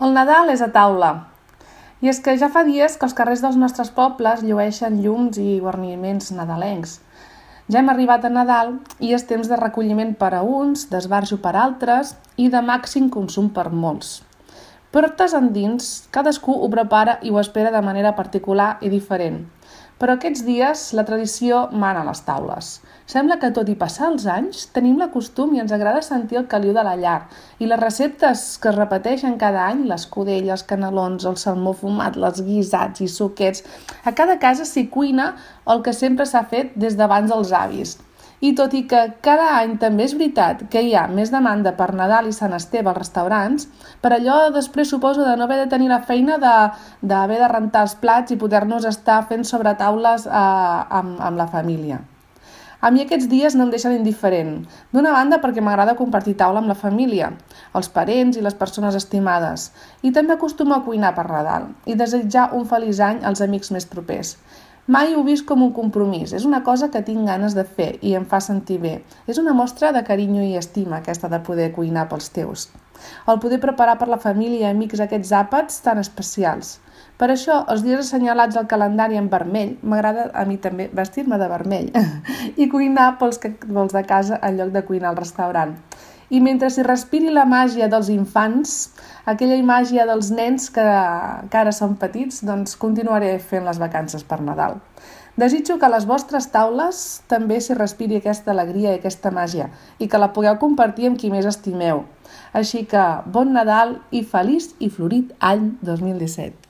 El Nadal és a taula. I és que ja fa dies que els carrers dels nostres pobles llueixen llums i guarniments nadalencs. Ja hem arribat a Nadal i és temps de recolliment per a uns, d'esbarjo per altres i de màxim consum per molts. Portes endins, cadascú ho prepara i ho espera de manera particular i diferent. Però aquests dies la tradició mana a les taules. Sembla que tot i passar els anys tenim la costum i ens agrada sentir el caliu de la llar i les receptes que es repeteixen cada any, l'escudella, els canelons, el salmó fumat, els guisats i suquets, a cada casa s'hi cuina el que sempre s'ha fet des d'abans dels avis. I tot i que cada any també és veritat que hi ha més demanda per Nadal i Sant Esteve als restaurants, per allò després suposo de no haver de tenir la feina d'haver de rentar els plats i poder-nos estar fent sobretaules amb la família. A mi aquests dies no em deixen indiferent. D'una banda perquè m'agrada compartir taula amb la família, els parents i les persones estimades, i també acostumo a cuinar per Nadal i desitjar un feliç any als amics més propers. Mai ho he vist com un compromís, és una cosa que tinc ganes de fer i em fa sentir bé. És una mostra de carinyo i estima aquesta de poder cuinar pels teus. El poder preparar per la família i amics aquests àpats tan especials. Per això, els dies assenyalats al calendari en vermell, m'agrada a mi també vestir-me de vermell i cuinar pels de casa en lloc de cuinar al restaurant. I mentre s'hi respiri la màgia dels infants, aquella màgia dels nens que ara són petits, doncs continuaré fent les vacances per Nadal. Desitjo que a les vostres taules també s'hi respiri aquesta alegria i aquesta màgia i que la pugueu compartir amb qui més estimeu. Així que bon Nadal i feliç i florit any 2017.